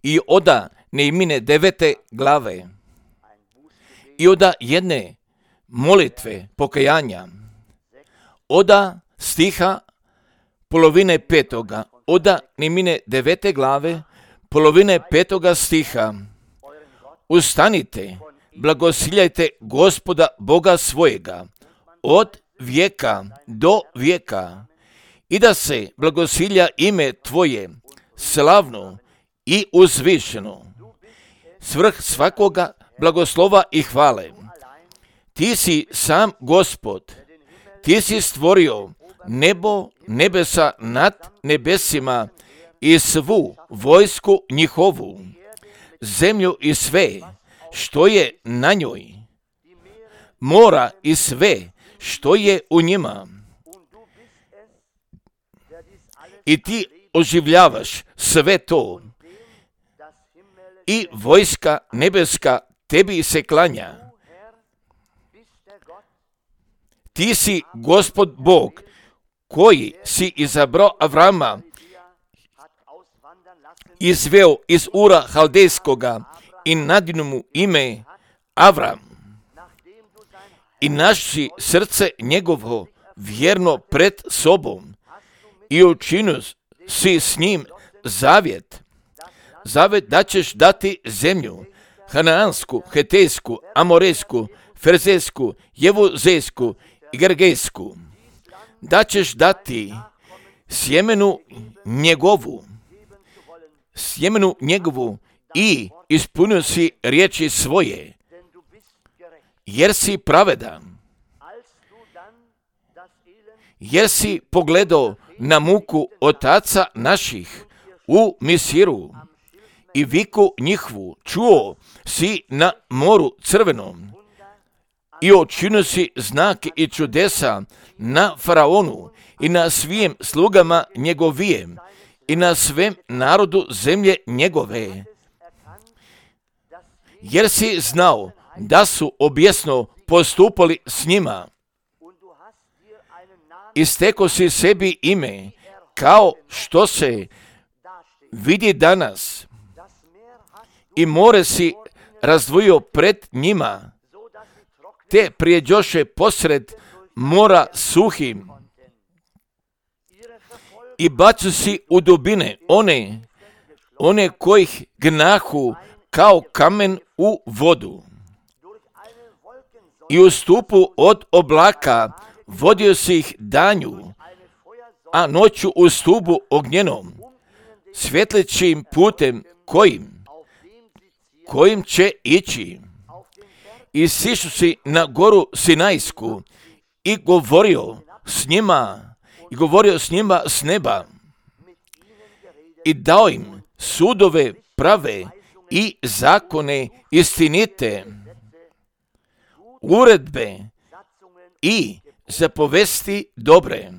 I oda Nehemine 9. glave i oda jedne molitve pokajanja, oda stiha polovine 5. oda Nehemine 9. glave polovine 5. stiha. Ustanite, blagosiljajte Gospoda Boga svojega od vijeka do vijeka i da se blagosilja ime Tvoje slavno i uzvišeno, svrh svakoga blagoslova i hvale. Ti si sam Gospod, Ti si stvorio nebo, nebesa nad nebesima i svu vojsku njihovu, zemlju i sve što je na njoj, mora i sve što je u njima. I Ti oživljavaš sve to i vojska nebeska Tebi se klanja. Ti si Gospod Bog koji si izabrao Avrama, izveo iz Ura Haldejskoga i nadinu mu ime Avram. I naši srce njegovo vjerno pred sobom i učinio si s njim zavjet da ćeš dati zemlju Hanaansku, Hetejsku, Amorejsku, Ferzejsku, Jevuzejsku i Gergejsku, da ćeš dati sjemenu njegovu i ispunio si riječi svoje, jer si pravedan, jer si pogledao na muku otaca naših u Misiru i viku njihovu čuo si na moru crvenom i učinio si znake i čudesa na faraonu i na svim slugama njegovijem i na svem narodu zemlje njegove, jer si znao da su objesno postupali s njima. Isteko si sebi ime, kao što se vidi danas, i more si razdvojio pred njima, te prijeđoše posred mora suhim, i bacu si u dubine one kojih gnahu kao kamen u vodu. I u stupu od oblaka vodio si ih danju, a noću u stubu ognjenom, svjetlećim putem kojim će ići. I sišu si na goru Sinajsku i govorio s njima s neba i dao im sudove prave i zakone istinite, uredbe i zapovesti dobre.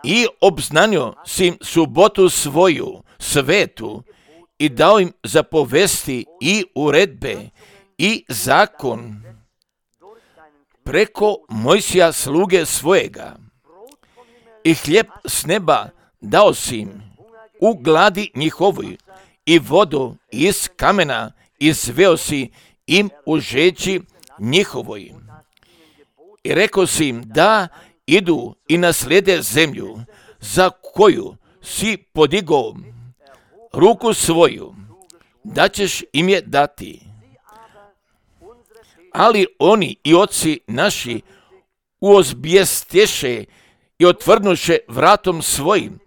I obznanio si im subotu svoju svetu i dao im zapovesti i uredbe i zakon preko Mojsija sluge svojega. I hljeb s neba dao si im u gladi njihovoj i vodu iz kamena izveo si im u žeđi njihovoj. I rekao si im da idu i naslijede zemlju za koju si podigao ruku svoju, da ćeš im je dati. Ali oni i oci naši uozbijestješe i otvrnuše vratom svojim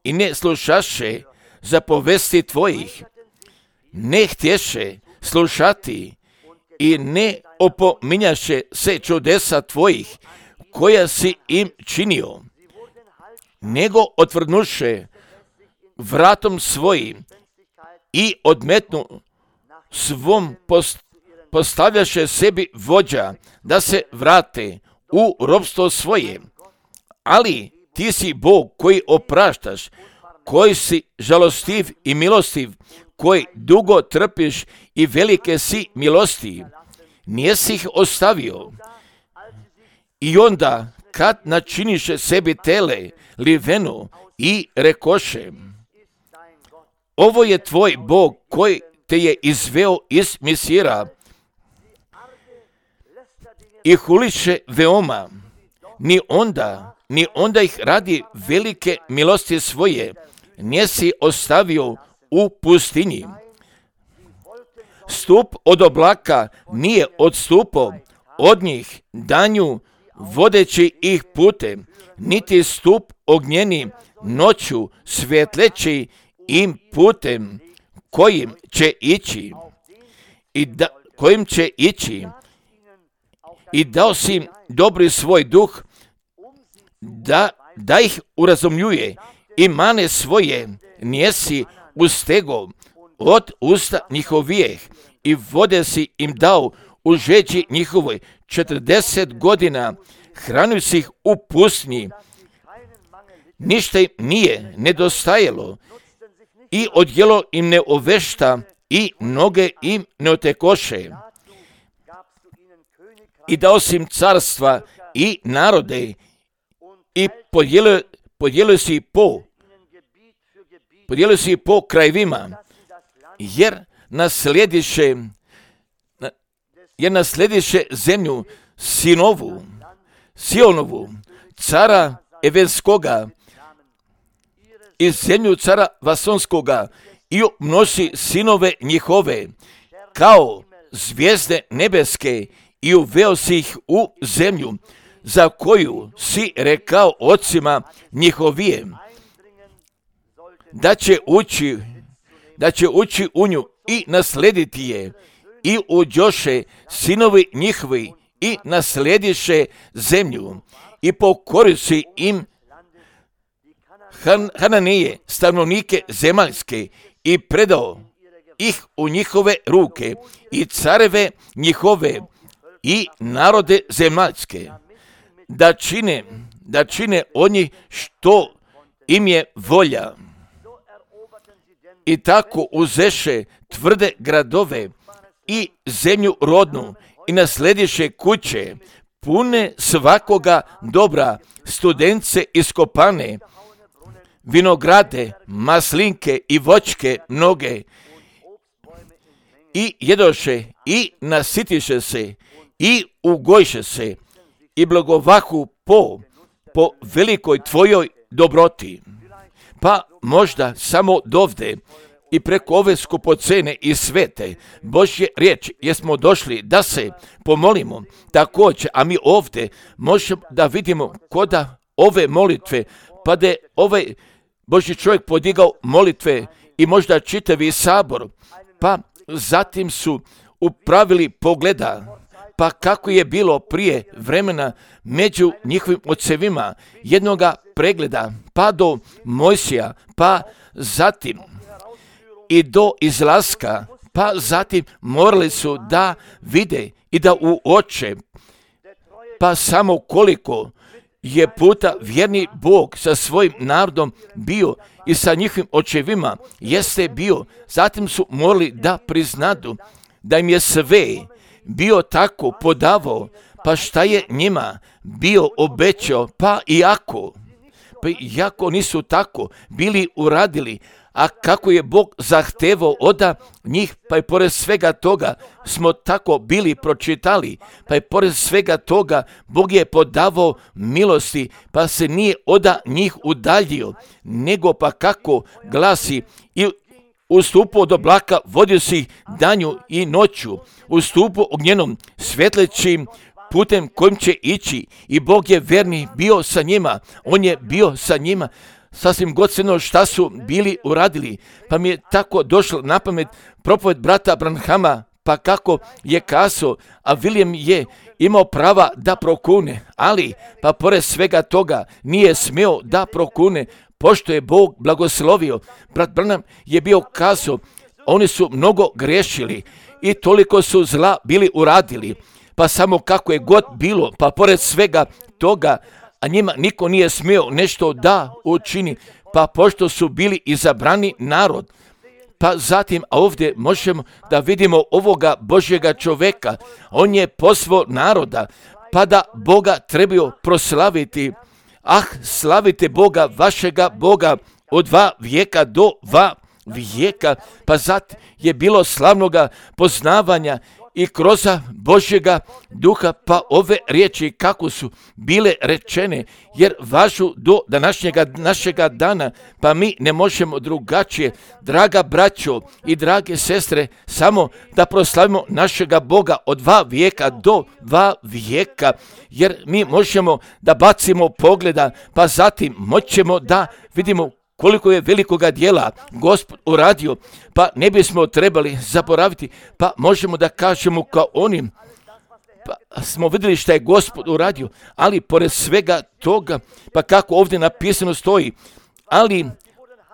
i ne slušaše zapovesti tvojih, ne htješe slušati i ne opominjaše se čudesa tvojih koja si im činio, nego otvrnuše vratom svojim i odmetnu svom postavljaše sebi vođa da se vrate u ropstvo svoje. Ali ti si Bog koji opraštaš, koji si žalostiv i milostiv, koji dugo trpiš i velike si milosti. Nijesi ih ostavio. I onda kad načiniše sebi tele, livenu i rekoše, ovo je tvoj Bog koji te je izveo iz Misira i huliše veoma, ni onda ih radi velike milosti svoje, nisi ostavio u pustinji. Stup od oblaka nije odstupao od njih danju, vodeći ih putem, niti stup ognjeni noću svjetleći im putem kojim će ići i dao si im dobri svoj duh da ih urazumljuje i mane svoje nijesi ustego od usta njihovijeh i vode si im dao u žeđi njihovoj 40 godina, hranio si ih u pustinji, ništa im nije nedostajalo i odjelo im ne ovešta i noge im ne otekoše. I dao si im carstva i narode i podijelio si po krajevima, jer naslediše zemlju Sionovu, cara Evenskoga i zemlju cara Vasonskoga i množi sinove njihove kao zvijezde nebeske i uveo si ih u zemlju za koju si rekao ocima njihovijem da će ući u nju i naslediti je, i uđoše sinovi njihovi i naslediše zemlju i pokoriši im Hananije, stanovnike zemaljske, i predao ih u njihove ruke i careve njihove i narode zemaljske, da čine od njih što im je volja. I tako uzeše tvrde gradove i zemlju rodnu i naslediše kuće pune svakoga dobra, studence iskopane, vinograde, maslinke i voćke mnoge, i jedoše i nasitiše se i ugojše se i blagovahu po velikoj tvojoj dobroti. Pa možda samo dovde i preko ove skupocene i svete Božje riječi jesmo došli da se pomolimo također, a mi ovdje možemo da vidimo koda ove molitve, pa da je ovaj Božji čovjek podigao molitve i možda čitavi sabor, pa zatim su upravili pogleda, pa kako je bilo prije vremena među njihovim ocevima, jednoga pregleda, pa do Mojsija, pa zatim i do izlaska, pa zatim morali su da vide i da uoče, pa samo koliko je puta vjerni Bog sa svojim narodom bio i sa njihovim očevima jeste bio. Zatim su morali da priznadu da im je sve bio tako podavao, pa šta je njima bio obećao, pa iako nisu tako bili uradili, a kako je Bog zahtevao od njih, pa i pored svega toga smo tako bili pročitali, pa i pored svega toga Bog je podavao milosti, pa se nije od njih udaljio, nego pa kako glasi i u stupu od oblaka vodio si ih danju i noću, u stupu ognjenom svjetlećim putem kojim će ići, i Bog je verni bio sa njima, on je bio sa njima, sasvim godstveno šta su bili uradili. Pa mi je tako došlo na pamet propoved brata Branhama, pa kako je kazao, a William je imao prava da prokune, ali pa pored svega toga nije smio da prokune, pošto je Bog blagoslovio. Brat Branham je bio kazao, oni su mnogo grešili i toliko su zla bili uradili, pa samo kako je god bilo, pa pored svega toga, a njima niko nije smio nešto da učini, pa pošto su bili izabrani narod. Pa zatim, a ovdje možemo da vidimo ovoga Božjega čoveka, on je pozvao naroda, pa da Boga trebaju proslaviti. Ah, slavite Boga, vašega Boga, od 2 vijeka do 2 vijeka, pa zat je bilo slavnoga poznavanja i kroz Božjega duha, pa ove riječi kako su bile rečene, jer važu do našega dana, pa mi ne možemo drugačije, draga braćo i drage sestre, samo da proslavimo našega Boga od 2 vijeka do 2 vijeka, jer mi možemo da bacimo pogleda, pa zatim moćemo da vidimo koliko je velikoga djela Gospod uradio, pa ne bismo trebali zaboraviti, pa možemo da kažemo kao onim, pa smo vidjeli šta je Gospod uradio, ali pored svega toga, pa kako ovdje napisano stoji,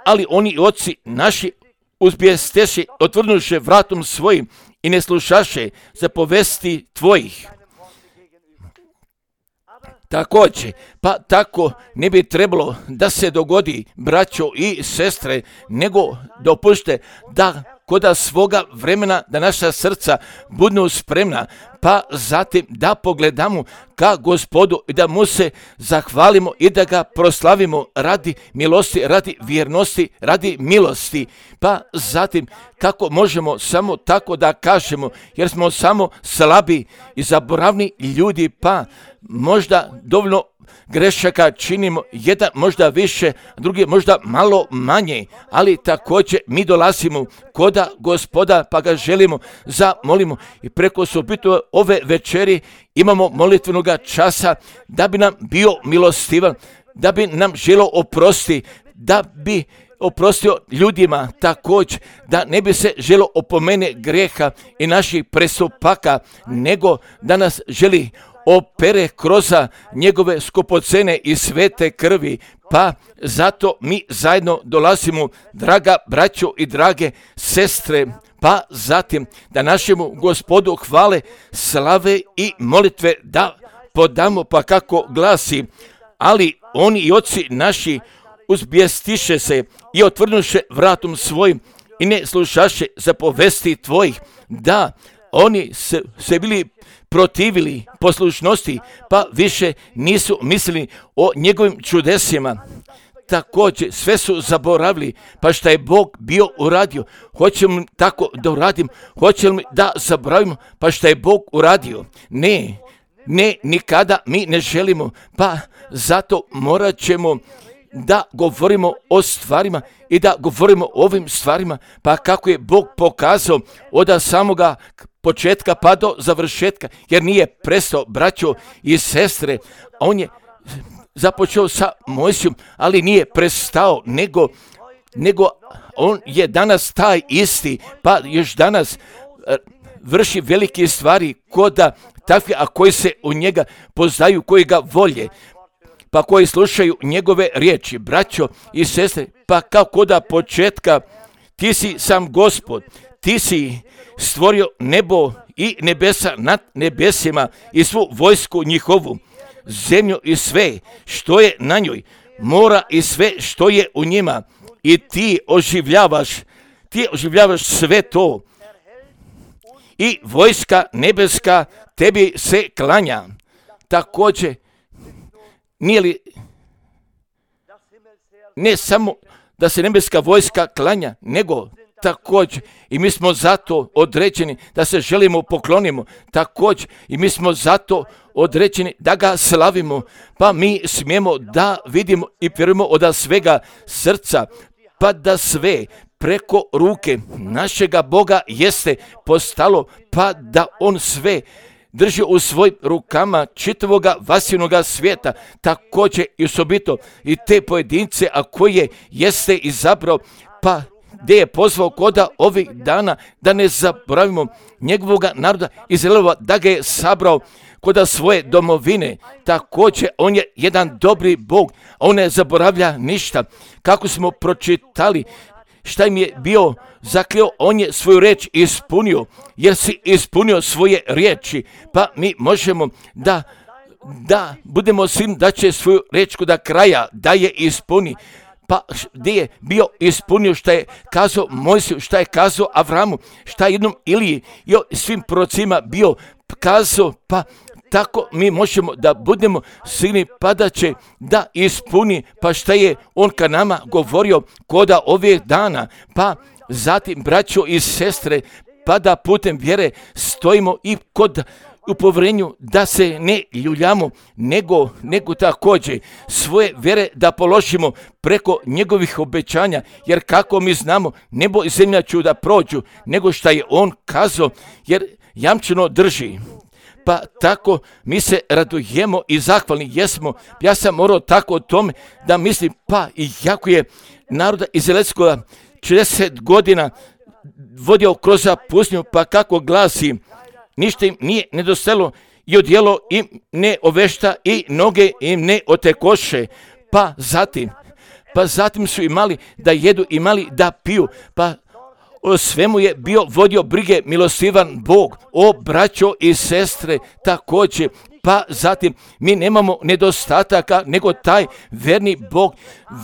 ali oni oci naši uzbijesteše, otvrnuše vratom svojim i ne slušaše zapovesti tvojih. Također, pa tako ne bi trebalo da se dogodi, braćo i sestre, nego dopušte da koda svoga vremena da naša srca budu spremna, pa zatim da pogledamo ka Gospodu i da mu se zahvalimo i da ga proslavimo radi milosti, radi vjernosti, radi milosti. Pa zatim kako možemo samo tako da kažemo, jer smo samo slabi i zaboravni ljudi, pa možda dovoljno grešaka činimo, jedan možda više, drugi možda malo manje, ali također mi dolazimo koda Gospoda, pa ga želimo zamolimo i preko subito ove večeri imamo molitvenog časa da bi nam bio milostivan, da bi nam želo oprosti, da bi oprostio ljudima također, da ne bi se želo opomene greha i naših prestupaka, nego da nas želi opere kroz njegove skupocene i svete krvi, pa zato mi zajedno dolazimo, draga braćo i drage sestre, pa zatim da našemu Gospodu hvale, slave i molitve da podamo, pa kako glasi, ali oni i oci naši uzbijestiše se i otvrnuše vratom svojim i ne slušaše zapovesti tvojih, da oni se bili protivili poslušnosti, pa više nisu mislili o njegovim čudesima. Također sve su zaboravili, pa šta je Bog bio uradio. Hoćemo li tako da uradim? Hoćemo li da zaboravimo, pa šta je Bog uradio? Ne, nikada mi ne želimo, pa zato morat ćemo da govorimo o stvarima i da govorimo o ovim stvarima, pa kako je Bog pokazao od samoga početka pa do završetka, jer nije prestao, braćo i sestre, on je započeo sa Mojsijom, ali nije prestao, nego on je danas taj isti, pa još danas vrši velike stvari koda takvi, a koji se u njega poznaju, koji ga volje, pa koji slušaju njegove riječi, braćo i sestre, pa kao koda početka, ti si sam Gospod, ti si stvorio nebo i nebesa nad nebesima i svu vojsku njihovu, zemlju i sve što je na njoj, mora i sve što je u njima, i ti oživljavaš sve to. I vojska nebeska tebi se klanja. Također, nije li ne samo da se nebeska vojska klanja, nego također i mi smo zato određeni da se želimo poklonimo, također i mi smo zato određeni da ga slavimo, pa mi smijemo da vidimo i vjerujemo od svega srca, pa da sve preko ruke našega Boga jeste postalo, pa da on sve drži u svojim rukama čitavoga vasinoga svijeta, također i osobito i te pojedince, a koje jeste izabrao, pa gdje je pozvao koda ovih dana da ne zaboravimo njegovoga naroda Izraelova, da ga je sabrao koda svoje domovine. Također on je jedan dobri Bog, on ne zaboravlja ništa. Kako smo pročitali šta im je bio zakleo, on je svoju riječ ispunio, jer si ispunio svoje riječi, pa mi možemo da budemo svim da će svoju riječ do kraja da je ispuni. Pa gdje je bio ispunio šta je kazao Mojsiju, šta je kazao Avramu, šta je jednom Iliji i svim prorocima bio kazao, pa tako mi možemo da budemo sigurni, pa da će da ispuni, pa šta je on ka nama govorio koda ovih dana, pa zatim, braćo i sestre, pa da putem vjere stojimo i kod u povjerenju, da se ne ljuljamo, nego također svoje vjere da položimo preko njegovih obećanja, jer kako mi znamo, nebo i zemlja će da prođu, nego šta je on kazao, jer jamčeno drži. Pa tako mi se radujemo i zahvalni jesmo. Ja sam morao tako o tome da mislim, pa i jako je naroda Izraelskoga 40 godina vodio kroz pustinju, pa kako glasi, ništa im nije nedostajalo i odjelo im ne ovešta i noge im ne otekoše. Pa zatim su imali da jedu, imali da piju, pa o svemu je bio vodio brige milostivan Bog, o braćo i sestre također. Pa zatim mi nemamo nedostataka, nego taj verni Bog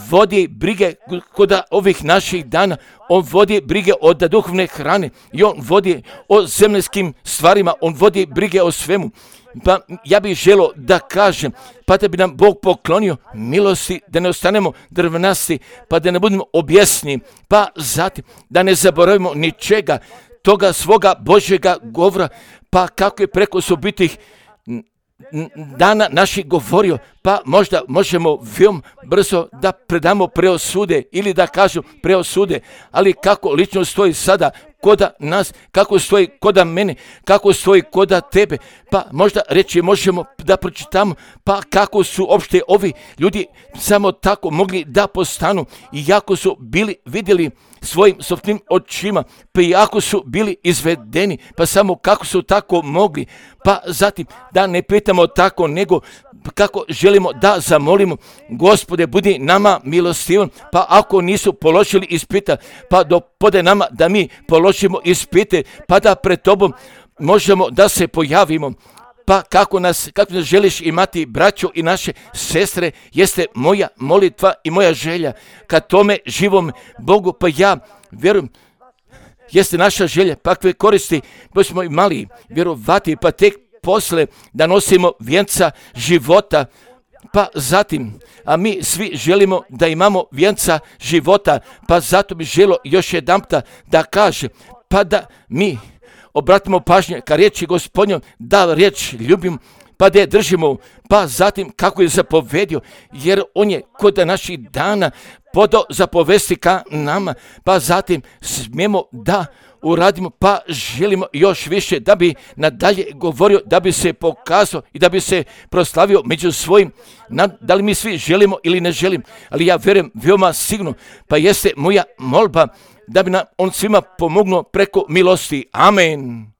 vodi brige kod ovih naših dana. On vodi brige od duhovne hrane i on vodi o zemljskim stvarima, on vodi brige o svemu. Pa ja bih želio da kažem, pa da bi nam Bog poklonio milosti, da ne ostanemo drvenasti, pa da ne budemo objesni, pa zatim da ne zaboravimo ničega toga svoga Božjega govora, pa kako je preko sobitih dana naših govorio, pa možda možemo veoma brzo da predamo preosude ili da kažu preosude, ali kako lično stoji sada koda nas, kako stoji koda mene, kako stoji koda tebe, pa možda reći možemo da pročitamo, pa kako su opšte ovi ljudi samo tako mogli da postanu, iako su bili vidjeli svojim sopstvenim očima, pa iako su bili izvedeni, pa samo kako su tako mogli, pa zatim da ne pitamo tako, nego kako želimo da zamolimo, Gospode, budi nama milostivan, pa ako nisu položili ispita, pa dopode nama da mi položimo ispite, pa da pred tobom možemo da se pojavimo. Pa kako nas želiš imati, braćo i naše sestre, jeste moja molitva i moja želja ka tome živom Bogu, pa ja vjerujem, jeste naša želja, pa kakve koristi smo imali vjerovati, pa tek posle da nosimo vjenca života, pa zatim, a mi svi želimo da imamo vjenca života, pa zato bi želio još jedanputa da kaže, pa da mi obratimo pažnje ka riječi Gospodnjom, da riječ ljubim, pa da je držimo, pa zatim kako je zapovedio, jer on je kod naših dana podao zapovesti ka nama, pa zatim smijemo da uradimo, pa želimo još više da bi nadalje govorio, da bi se pokazao i da bi se proslavio među svojim. Da li mi svi želimo ili ne želimo, ali ja vjerujem veoma sigurno, pa jeste moja molba da bi nam on svima pomognuo preko milosti. Amen.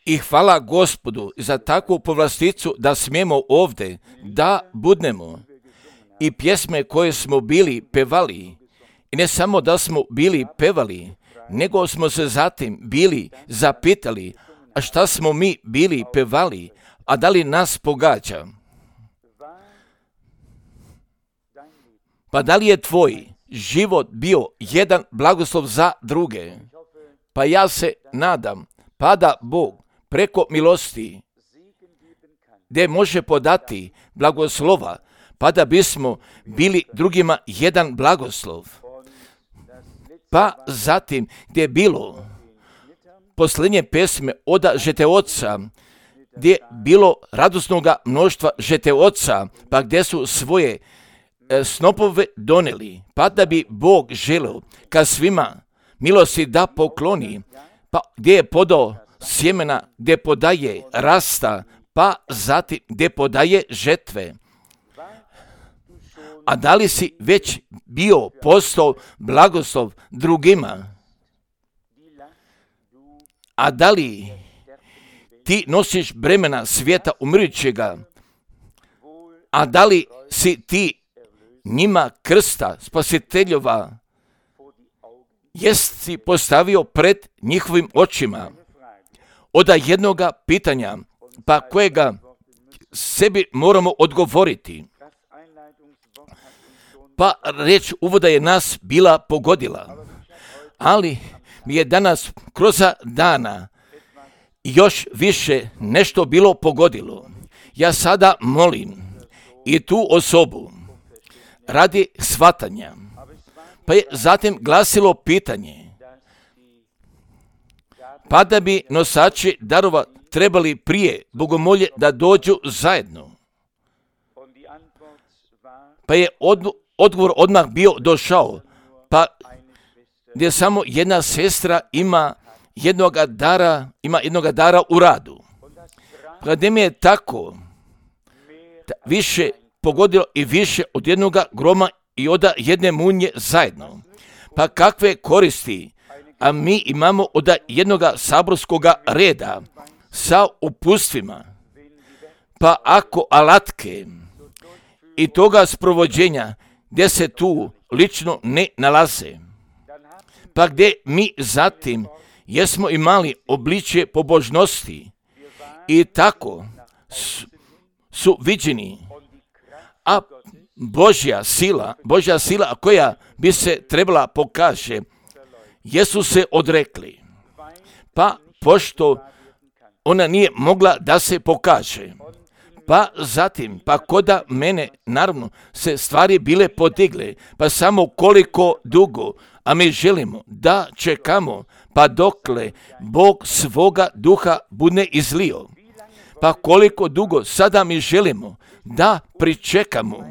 I hvala Gospodu za takvu povlasticu da smijemo ovdje da budnemo i pjesme koje smo bili pevali. I ne samo da smo bili pevali, nego smo se zatim bili zapitali, a šta smo mi bili pevali, a da li nas pogađa? Pa da li je tvoj život bio jedan blagoslov za druge? Pa ja se nadam, pa da Bog preko milosti, gdje može podati blagoslova, pa da bismo bili drugima jedan blagoslov. Pa zatim gdje je bilo posljednje pesme oda žeteoca, gdje je bilo radosnoga mnoštva žeteoca, pa gdje su svoje snopove doneli, pa da bi Bog želeo ka svima milosti da pokloni, pa gdje je podao sjemena, gdje podaje rasta, pa zatim gdje podaje žetve. A da li si već bio postao blagoslov drugima? A da li ti nosiš bremena svijeta umirujućega? A da li si ti njima krsta spasiteljova jest si postavio pred njihovim očima? Oda jednoga pitanja, pa kojega sebi moramo odgovoriti. Pa reč uvoda je nas bila pogodila, ali mi je danas kroz dana još više nešto bilo pogodilo. Ja sada molim i tu osobu radi shvatanja. Pa je zatim glasilo pitanje, pa da bi nosači darova trebali prije bogomolje da dođu zajedno. Pa je odgovor odmah bio došao, pa gdje samo jedna sestra ima jednoga dara u radu. Kada mi je tako više pogodilo i više od jednoga groma i od jedne munje zajedno. Pa kakve koristi, a mi imamo od jednoga saborskoga reda sa upustvima, pa ako alatke i toga sprovođenja gdje se tu lično ne nalaze, pa gdje mi zatim jesmo imali obličje pobožnosti i tako su viđeni, a Božja sila koja bi se trebala pokaže, jesu se odrekli, pa pošto ona nije mogla da se pokaže, pa zatim, pa koda mene, naravno, se stvari bile podigle, pa samo koliko dugo, a mi želimo da čekamo, pa dokle Bog svoga duha bude izlio. Pa koliko dugo sada mi želimo da pričekamo,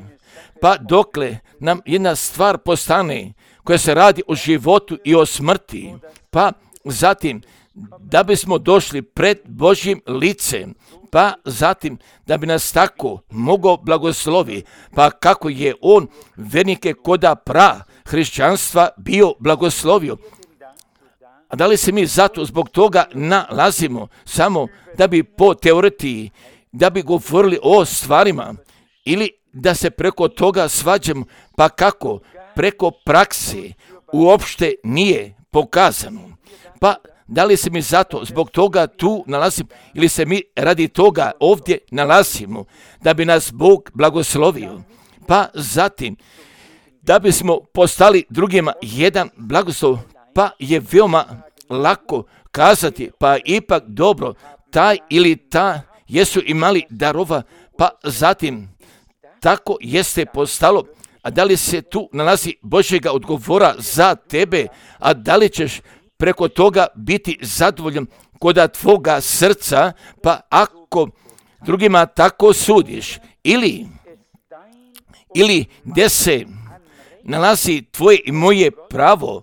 pa dokle nam jedna stvar postane koja se radi o životu i o smrti, pa zatim da bismo došli pred Božjim licem, pa zatim da bi nas tako mogao blagoslovi, pa kako je on vernike koda hrišćanstva bio blagoslovio. A da li se mi zato zbog toga nalazimo samo da bi po teoretiji, da bi govorili o stvarima ili da se preko toga svađamo, pa kako preko prakse uopšte nije pokazano. Pa da li se mi zato zbog toga tu nalazimo ili se mi radi toga ovdje nalazimo da bi nas Bog blagoslovio, pa zatim da bismo postali drugima jedan blagoslov, pa je veoma lako kazati, pa ipak dobro, taj ili ta jesu imali darova, pa zatim tako jeste postalo. A da li se tu nalazi Božjega odgovora za tebe, a da li ćeš preko toga biti zadovoljan koda tvoga srca, pa ako drugima tako sudiš, ili gdje se nalazi tvoje i moje pravo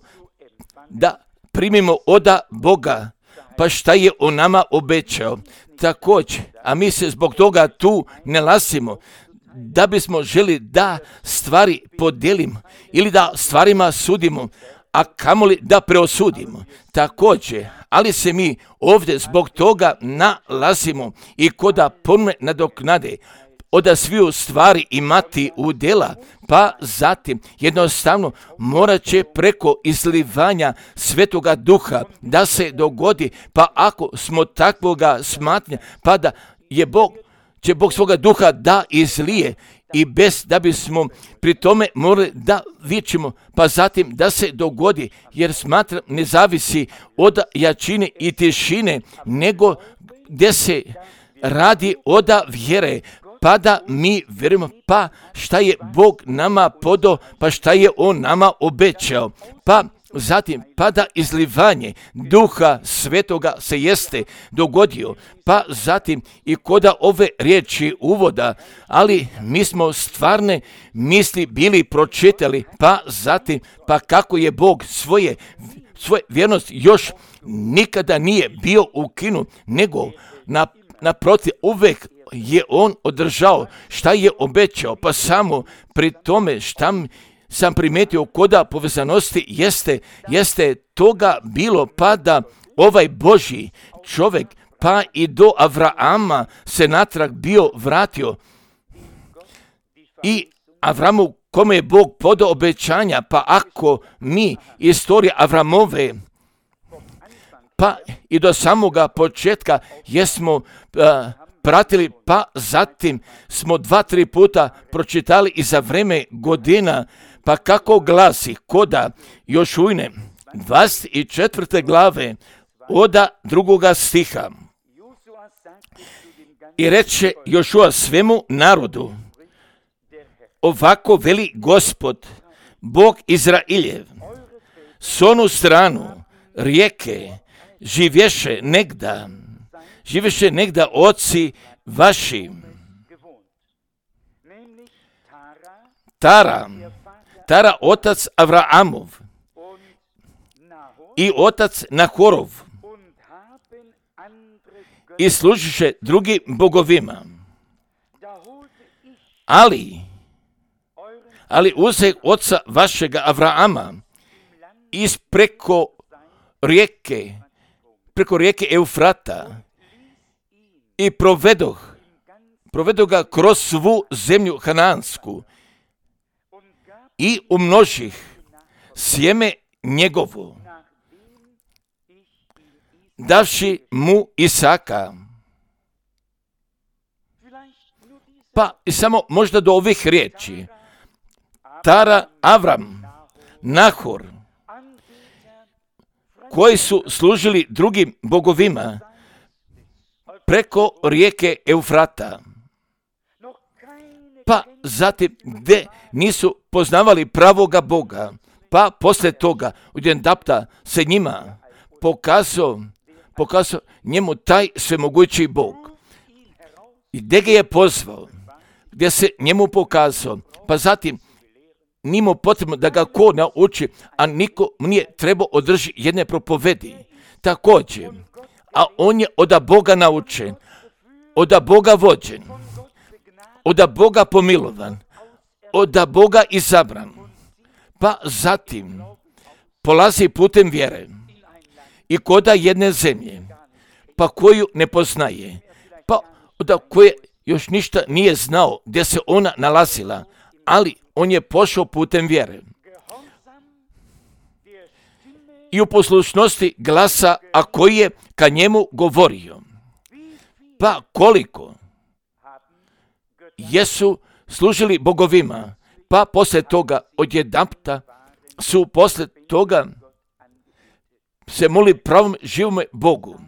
da primimo od Boga, pa šta je on nama obećao. Također, a mi se zbog toga tu nalazimo, da bismo želi da stvari podijelimo ili da stvarima sudimo, a kamoli da preosudimo. Također, ali se mi ovdje zbog toga nalazimo i koda ponovne nadoknade od sviju stvari imati udjela, pa zatim jednostavno morat će preko izlivanja Svetoga Duha da se dogodi, pa ako smo takvoga smatranja, pa da će Bog svoga duha da izlije i bez da bismo pri tome morali da vičimo, pa zatim da se dogodi, jer smatram ne zavisi od jačine i tišine, nego gdje se radi od vjere, pa da mi vjerujemo, pa šta je Bog nama podao, pa šta je on nama obećao, pa zatim, pa da izlivanje Duha Svetoga se jeste dogodio, pa zatim i koda ove riječi uvoda, ali mi smo stvarne misli bili pročitali, pa zatim, pa kako je Bog svoje vjernost još nikada nije bio ukinut, nego naprotiv uvek je on održao šta je obećao, pa samo pri tome šta sam primetio koda povezanosti jeste toga bilo, pa da ovaj Božji čovjek pa i do Avrama se natrag bio vratio i Avramu kome je Bog podao obećanja, pa ako mi istorija Avramove pa i do samoga početka jesmo pratili, pa zatim smo 2-3 puta pročitali i za vreme godina, pa kako glasi koda Jošujne 24. glave od 2. stiha. I reče Jošua svemu narodu, ovako veli Gospod, Bog Izrailjev, s onu stranu rijeke živješe negda oci vaši. Tara otac Avraamov i otac Nahorov i služiše drugim bogovima. Ali uze oca vašega Avraama preko rijeke Eufrata i provedoh ga kroz svu zemlju Hanansku i umnožih sjeme njegovo, davši mu Isaka. Pa i samo možda do ovih riječi. Tara, Avram, Nahor, koji su služili drugim bogovima preko rijeke Eufrata. Pa zatim gdje nisu poznavali pravoga Boga, pa poslije toga odjedanput se njima pokazao njemu taj svemogući Bog. I gdje ga je pozvao, gdje se njemu pokazao, pa zatim nimo potrebno da ga ko nauči, a niko nije trebao održati jedne propovedi. Također, a on je od Boga naučen, od Boga vođen, od Boga pomilovan, od Boga izabran, pa zatim polazi putem vjere i koda jedne zemlje, pa koju ne poznaje, pa od koje još ništa nije znao gdje se ona nalazila, ali on je pošao putem vjere i u poslušnosti glasa, a koji je ka njemu govorio. Pa koliko jesu služili bogovima, pa poslije toga odjedanputa su poslije toga se molili pravom živome Bogu.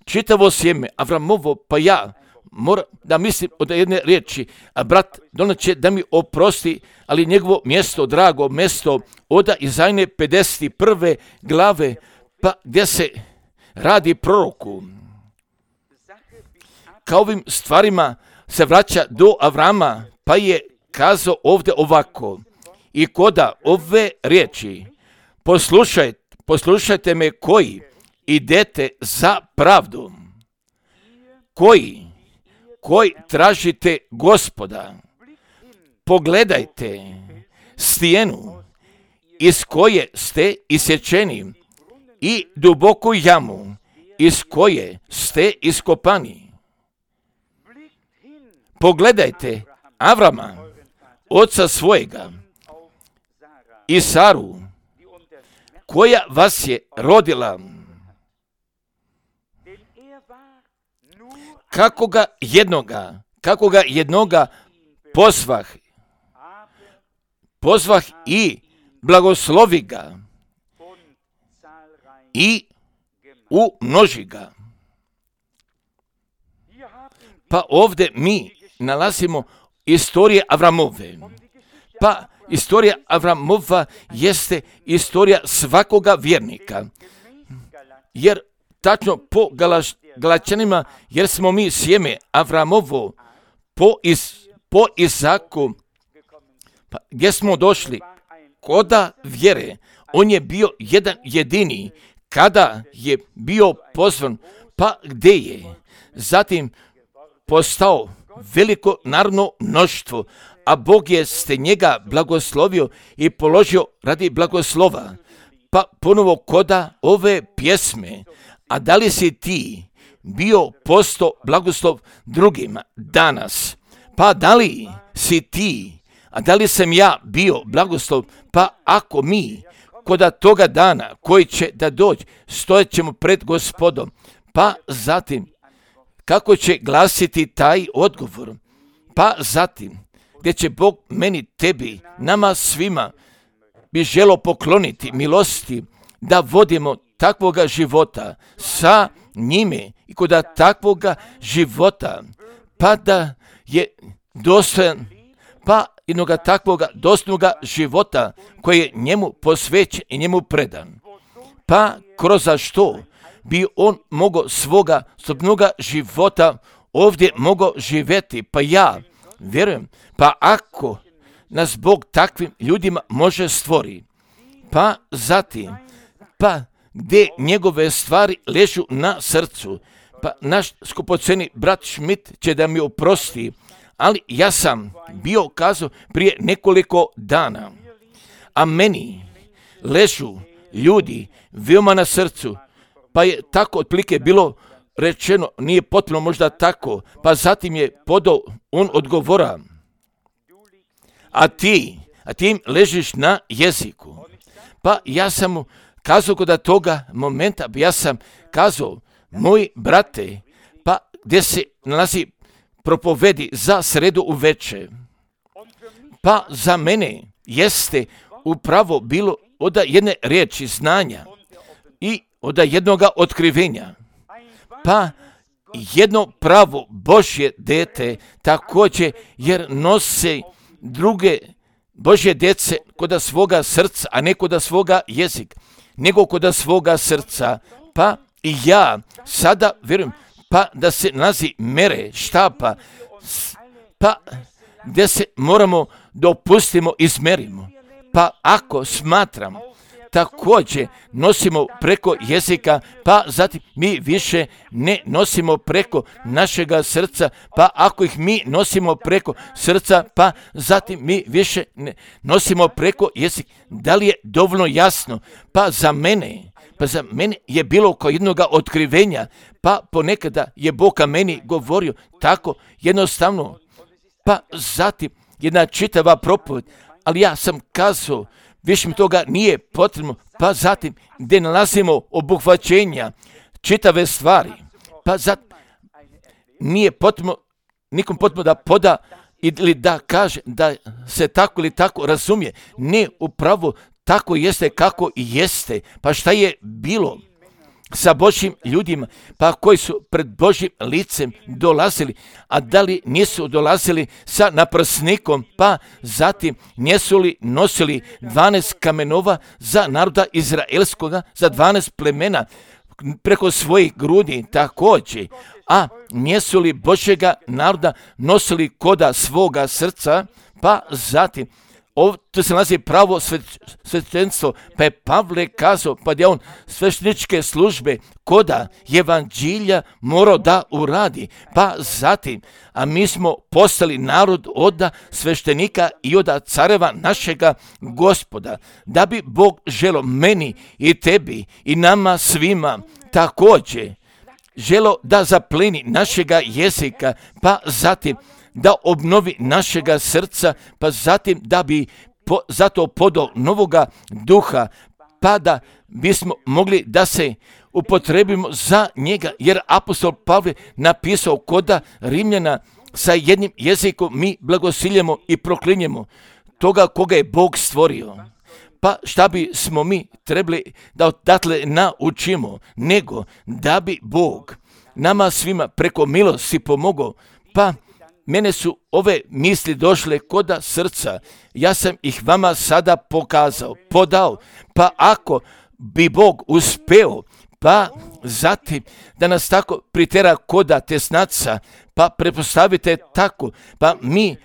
Čitavo sjeme Avramovo, pa ja moram da mislim od jedne riječi, a brat Donat će da mi oprosti, ali njegovo mjesto, drago mjesto, oda Izajne 51. glave, pa gdje se radi proroku. Kao ovim stvarima se vraća do Avrama, pa je kazao ovdje ovako, i koda ove riječi, poslušajte me koji idete za pravdu, koji tražite Gospoda, pogledajte stijenu iz koje ste isječeni i duboku jamu iz koje ste iskopani. Pogledajte Avrama, oca svojega, i Saru, koja vas je rodila. Kako ga jednoga pozvah i blagoslovi ga i umnoži ga. Pa ovdje mi nalazimo istorije Avramove. Pa istorija Avramova jeste istorija svakoga vjernika. Jer tačno po Galačanima, jer smo mi sjeme Avramovo po Izaku, pa gdje smo došli koda vjere, on je bio jedan jedini kada je bio pozvan, pa gdje je zatim postao veliko narodno mnoštvo, a Bog je ste njega blagoslovio i položio radi blagoslova. Pa ponovo koda ove pjesme, a da li si ti bio posto blagoslov drugima danas? Pa da li si ti, a da li sam ja bio blagoslov? Pa ako mi koda toga dana koji će da dođe, stojat ćemo pred Gospodom, pa zatim kako će glasiti taj odgovor? Pa zatim gdje će Bog meni, tebi, nama svima bi želo pokloniti milosti da vodimo takvoga života sa njime i kod takvoga života, pa da je dostojan, pa jednoga takvoga dostojnoga života koji je njemu posvećen i njemu predan, pa kroz što bi on mogao svoga slobodnoga života ovdje mogao živjeti. Pa ja vjerujem, pa ako nas Bog takvim ljudima može stvori, pa zatim, pa gdje njegove stvari ležu na srcu, pa naš skupoceni brat Schmidt će da mi oprosti, ali ja sam bio kazao prije nekoliko dana, a meni ležu ljudi veoma na srcu, pa je tako otprilike bilo rečeno, nije potpuno možda tako, pa zatim je podao on odgovora, a ti im ležiš na jeziku. Pa ja sam mu kazao kod toga momenta, ja sam kazao, moji brate, pa gdje se nalazi propovedi za sredu uveče, pa za mene jeste upravo bilo od jedne riječi znanja i od jednoga otkrivenja, pa jedno pravo Božje dete također, jer nose druge Božje djece kod svoga srca, a ne kod svoga jezika, nego kod svoga srca. Pa i ja sada vjerujem, pa da se nalazi mere štapa, pa gdje se moramo dopustimo i izmerimo. Pa ako smatram, također nosimo preko jezika, pa zatim mi više ne nosimo preko našega srca, pa ako ih mi nosimo preko srca, pa zatim mi više ne nosimo preko jezika. Da li je dovoljno jasno? Pa za mene je bilo kao jednoga otkrivenja, pa ponekada je Bog meni govorio tako jednostavno, pa zatim jedna čitava propoved, ali ja sam kazao, više mi toga nije potrebno, pa zatim gdje nalazimo obuhvaćenja, čitave stvari, pa zatim nije potrebno, nikom potrebno da poda ili da kaže da se tako ili tako razumije. Ne, upravo tako jeste kako i jeste. Pa šta je bilo sa Božjim ljudima, pa koji su pred Božjim licem dolazili, a da li nisu dolazili sa naprsnikom, pa zatim nisu li nosili 12 kamenova za naroda izraelskoga, za 12 plemena preko svojih grudi također, a nisu li Božjega naroda nosili koda svoga srca, pa zatim tu se nalazi pravo svećenstvo, pa je Pavle kazao, pa je on svešteničke službe koda evanđelja morao da uradi, pa zatim, a mi smo postali narod od sveštenika i od careva našega Gospoda, da bi Bog želo meni i tebi i nama svima također želo da zapleni našega jezika, pa zatim da obnovi našega srca, pa zatim da bi zato podao novoga duha, pa da bismo mogli da se upotrebimo za njega, jer apostol Pavle napisao koda Rimljana, sa jednim jezikom mi blagosiljemo i proklinjemo toga koga je Bog stvorio. Pa šta bi smo mi trebali da odatle naučimo, nego da bi Bog nama svima preko milosti pomogao. Pa mene su ove misli došle koda srca, ja sam ih vama sada podao, pa ako bi Bog uspeo, pa zatim da nas tako pritera koda tesnaca, pa prepostavite tako, pa mi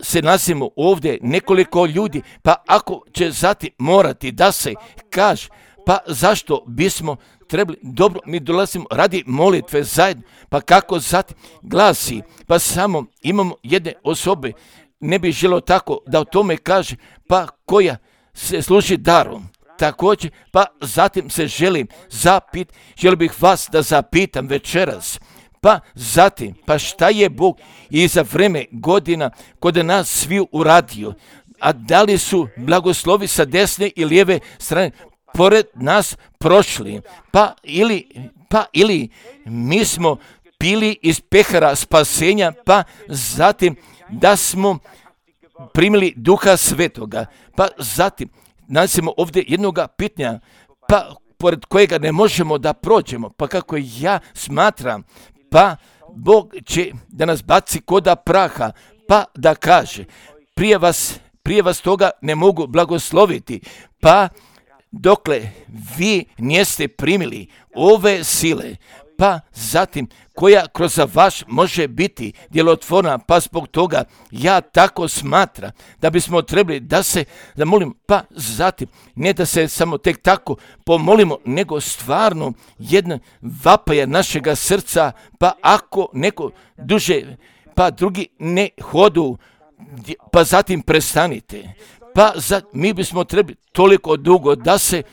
se nalazimo ovdje nekoliko ljudi, pa ako će zatim morati da se kaže, pa zašto bismo trebali, dobro, mi dolazimo radi molitve zajedno, pa kako zatim glasi, pa samo imamo jedne osobe, ne bi želio tako da o tome kaže, pa koja se služi darom. Također, pa zatim se želim bih vas da zapitam večeras, pa zatim, pa šta je Bog i za vreme godina kod nas svi uradio, a da li su blagoslovi sa desne i lijeve strane pored nas prošli, pa ili mi smo pili iz pehara spasenja, pa zatim da smo primili Duha Svetoga, pa zatim nalazimo ovdje jednoga pitanja, pa pored kojega ne možemo da prođemo, pa kako ja smatram, pa Bog će da nas baci koda praha, pa da kaže, prije vas toga ne mogu blagosloviti, pa dokle vi niste primili ove sile, pa zatim koja kroz vas može biti djelotvorna, pa zbog toga ja tako smatram da bismo trebali da se zamolim, pa zatim ne da se samo tek tako pomolimo, nego stvarno jedna vapaja našega srca, pa ako neko duže, pa drugi ne hodu, pa zatim prestanite. Pa mi bismo trebali toliko dugo da se,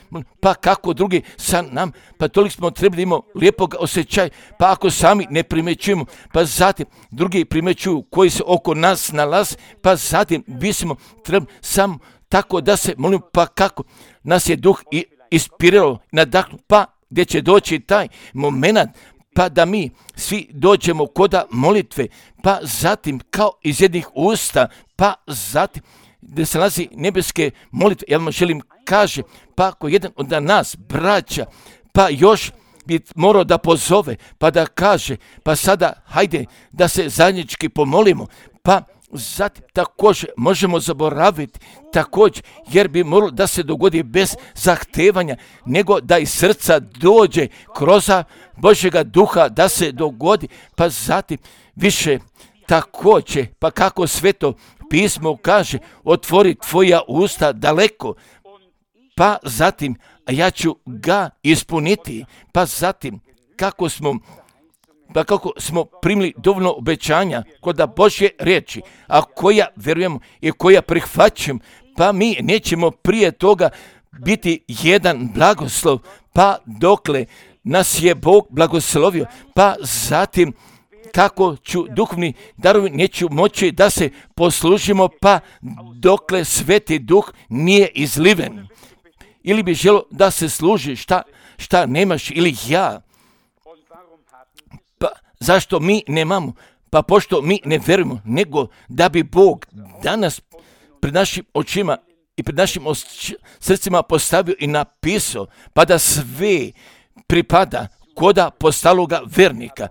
pa kako drugi sa nam, pa toliko smo trebali imamo lijepog osjećaja, pa ako sami ne primećujemo, pa zatim drugi primećuju koji se oko nas nalaze, pa zatim bismo trebali samo tako da se molimo, pa kako nas je duh ispirao, nadahnuo, pa gdje će doći taj moment, pa da mi svi dođemo koda molitve, pa zatim kao iz jednih usta, pa zatim gdje se nalazi nebeske molitve, ja vam želim kaže, pa ako jedan od nas braća, pa još bi morao da pozove, pa da kaže, pa sada hajde da se zajednički pomolimo, pa zatim također možemo zaboraviti također, jer bi moralo da se dogodi bez zahtevanja, nego da iz srca dođe kroz Božjega duha da se dogodi, pa zatim više također, pa kako Sveto pismo kaže, otvori tvoja usta daleko, pa zatim ja ću ga ispuniti, pa zatim kako smo primili dovoljno obećanja kod Božje riječi, a koja vjerujemo i koja prihvaćamo, pa mi nećemo prije toga biti jedan blagoslov, pa dokle nas je Bog blagoslovio, pa zatim kako ću duhovni darovi neću moći da se poslužimo, pa dokle Sveti Duh nije izliven. Ili bi želo da se služi šta nemaš ili ja. Pa zašto mi nemamo? Pa pošto mi ne verujemo, nego da bi Bog danas pred našim očima i pred našim srcima postavio i napisao, pa da sve pripada koda postaloga vernika.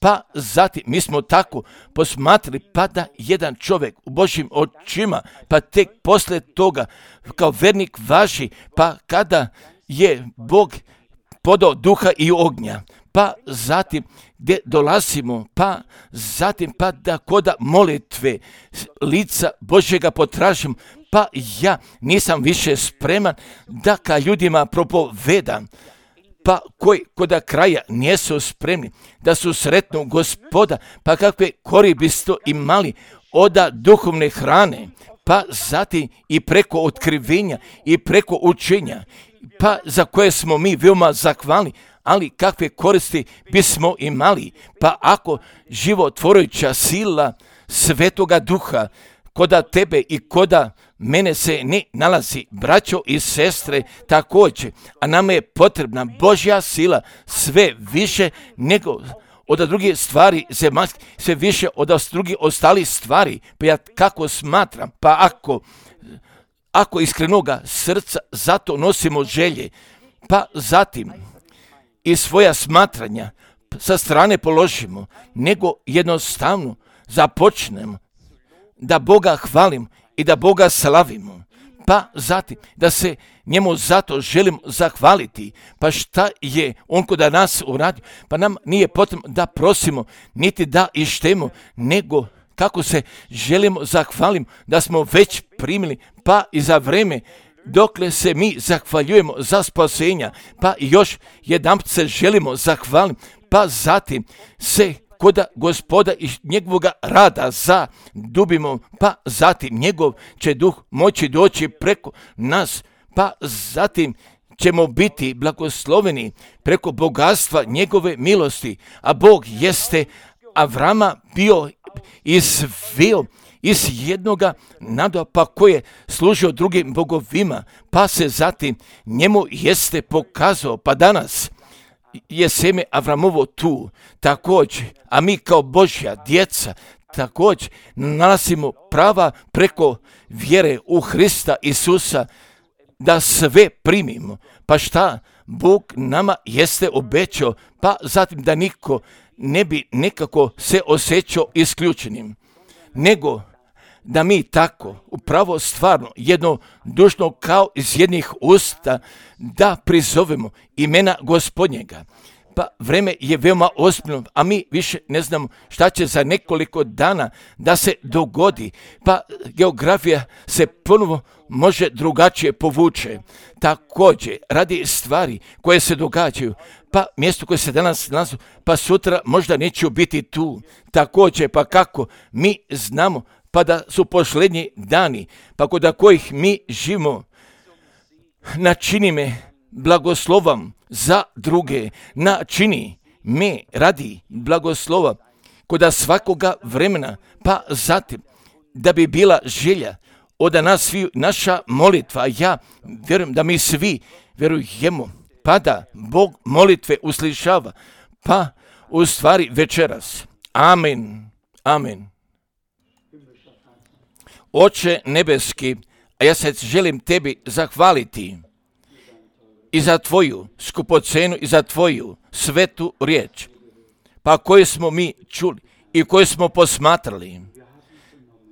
Pa zatim mi smo tako posmatrali, pa da jedan čovjek u Božjim očima, pa tek poslije toga kao vernik važi, pa kada je Bog podao duha i ognja, pa zatim gdje dolazimo, pa zatim pa da koda molitve lica Božjega potražimo, pa ja nisam više spreman da ka ljudima propovedam, pa koji koda kraja nisu spremni da su sretnu Gospoda, pa kakve koristi biste imali od duhovne hrane, pa zatim i preko otkrivenja i preko učenja, pa za koje smo mi veoma zahvalni, ali kakve koristi bismo imali, pa ako životvorujuća sila Svetoga Duha koda tebe i koda mene se ne nalazi, braćo i sestre, također, a nama je potrebna Božja sila sve više nego od drugih stvari zemaljske, sve više od drugih ostalih stvari, pa ja kako smatram, pa ako iskrenoga srca zato nosimo želje, pa zatim i svoja smatranja sa strane položimo, nego jednostavno započnemo da Boga hvalim i da Boga slavimo, pa zatim da se njemu zato želim zahvaliti, pa šta je on kod nas uradio, pa nam nije potrebno da prosimo, niti da ištemo, nego kako se želimo zahvalimo, da smo već primili, pa i za vreme dokle se mi zahvaljujemo za spasenja, pa još jedanput se želimo zahvaliti, pa zatim se koda Gospoda i njegovoga rada zadubimo, pa zatim njegov će duh moći doći preko nas, pa zatim ćemo biti blagosloveni preko bogatstva njegove milosti, a Bog jeste Avrama bio izveo iz jednoga naroda, pa koji je služio drugim bogovima, pa se zatim njemu jeste pokazao, pa danas je seme Avramovo tu također, a mi kao Božja djeca također nalazimo prava preko vjere u Hrista Isusa da sve primimo. Pa šta Bog nama jeste obećao, pa zatim da niko ne bi nekako se osjećao isključenim, nego da mi tako, upravo stvarno, jednodušno kao iz jednih usta, da prizovemo imena Gospodnjega. Pa vreme je veoma ozbiljno, a mi više ne znamo šta će za nekoliko dana da se dogodi. Pa geografija se ponovo može drugačije povuče. Također, radi stvari koje se događaju, pa mjesto koje se danas nalazi, pa sutra možda neće biti tu. Također, pa kako mi znamo, pa da su posljednji dani, pa kod kojih mi živimo, načini me blagoslovom za druge, načini me radi blagoslova kod svakoga vremena, pa zatim da bi bila želja od nas svi, naša molitva, ja vjerujem da mi svi vjerujemo, pa da Bog molitve uslišava, pa u stvari večeras. Amen. Amen. Oče nebeski, a ja se želim tebi zahvaliti i za tvoju skupocenu i za tvoju svetu riječ, pa koju smo mi čuli i koju smo posmatrali.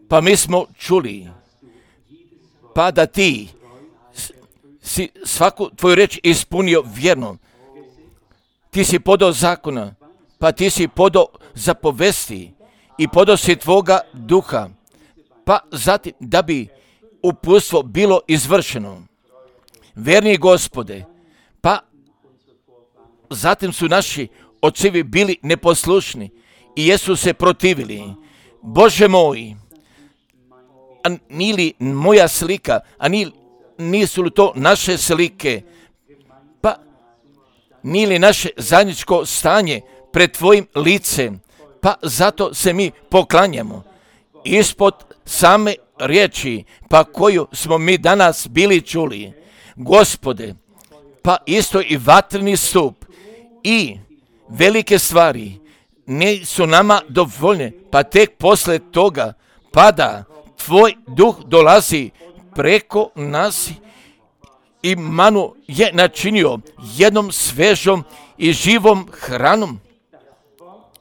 Pa mi smo čuli, pa da ti si svaku tvoju riječ ispunio vjerno. Ti si podao zakona, pa ti si podao zapovesti i podao si tvoga duha, pa zatim da bi uputstvo bilo izvršeno. Verni Gospode, pa zatim su naši očevi bili neposlušni i jesu se protivili. Bože moj, a nije li moja slika, a nisu li to naše slike, pa nije li naše zajedničko stanje pred tvojim licem, pa zato se mi poklanjamo ispod same riječi, pa koju smo mi danas bili čuli. Gospode, pa isto i vatreni stup i velike stvari nisu nama dovoljne, pa tek posle toga pada tvoj duh dolazi preko nas i manu je načinio jednom svežom i živom hranom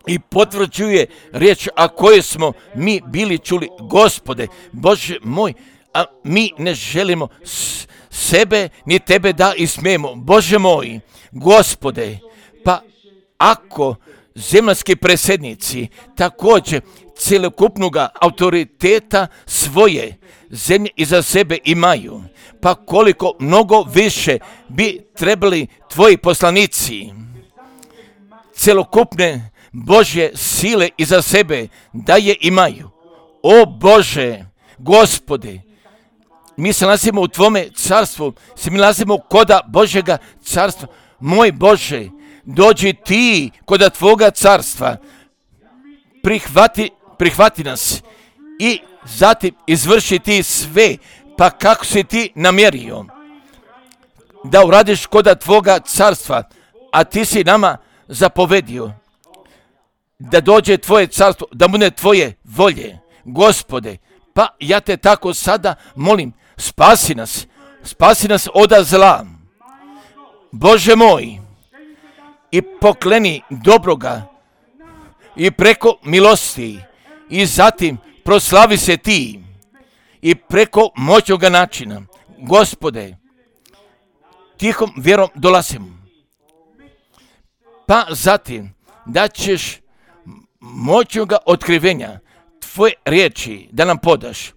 i potvrđuje riječ a koje smo mi bili čuli. Gospode, Bože moj, a mi ne želimo sebe ni tebe da ismijemo. Bože moj, Gospode, pa ako zemaljski predsjednici također cjelokupnoga autoriteta svoje zemlje iza sebe imaju, pa koliko mnogo više bi trebali tvoji poslanici cjelokupne Božje sile iza sebe da je imaju. O Bože, Gospode, mi se nalazimo u tvome carstvu, mi nalazimo koda Božjega carstva. Moj Bože, dođi ti koda tvoga carstva, prihvati nas i zatim izvrši ti sve, pa kako si ti namjerio da uradiš koda tvoga carstva, a ti si nama zapovedio da dođe tvoje carstvo, da bude tvoje volje. Gospode, pa ja te tako sada molim, spasi nas od zla. Bože moj, i pokleni dobroga i preko milosti i zatim proslavi se ti i preko moćnoga načina. Gospode, tihom vjerom dolazim, pa zatim da ćeš moćnoga otkrivenja tvoje riječi da nam podaš,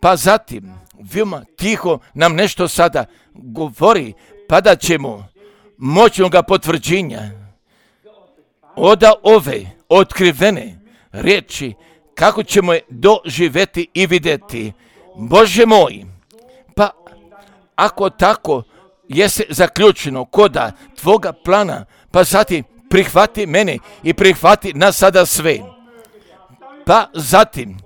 pa zatim veoma tiho nam nešto sada govori, pa da ćemo moćnoga potvrđenja od ove otkrivene riječi kako ćemo je doživjeti i vidjeti. Bože moj, pa ako tako jeste zaključeno koda tvoga plana, pa zatim prihvati mene i prihvati nas sada sve. Pa zatim,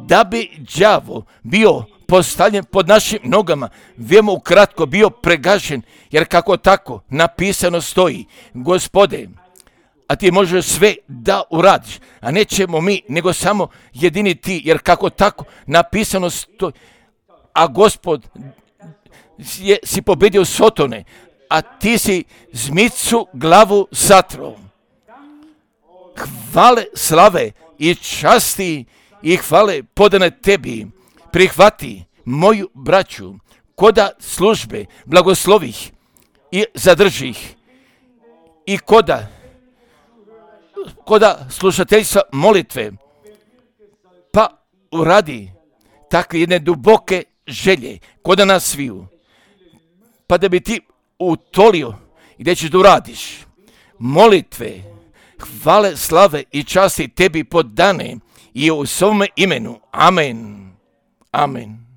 da bi đavo bio postavljen pod našim nogama, veoma ukratko bio pregažen, jer kako tako napisano stoji. Gospode, a ti možeš sve da uradiš, a nećemo mi, nego samo jedini ti, jer kako tako napisano stoji. A Gospod si pobedio Sotone, a ti si zmicu glavu satro. Hvale, slave i časti i hvale podane tebi. Prihvati moju braću, koda službe blagoslovih i zadržih i koda slušateljstva molitve, pa uradi takve jedne duboke želje koda nas sviju, pa da bi ti utolio i da ćeš da uradiš molitve, hvale, slave i časti tebi podane i u svome imenu. Amen. Amen.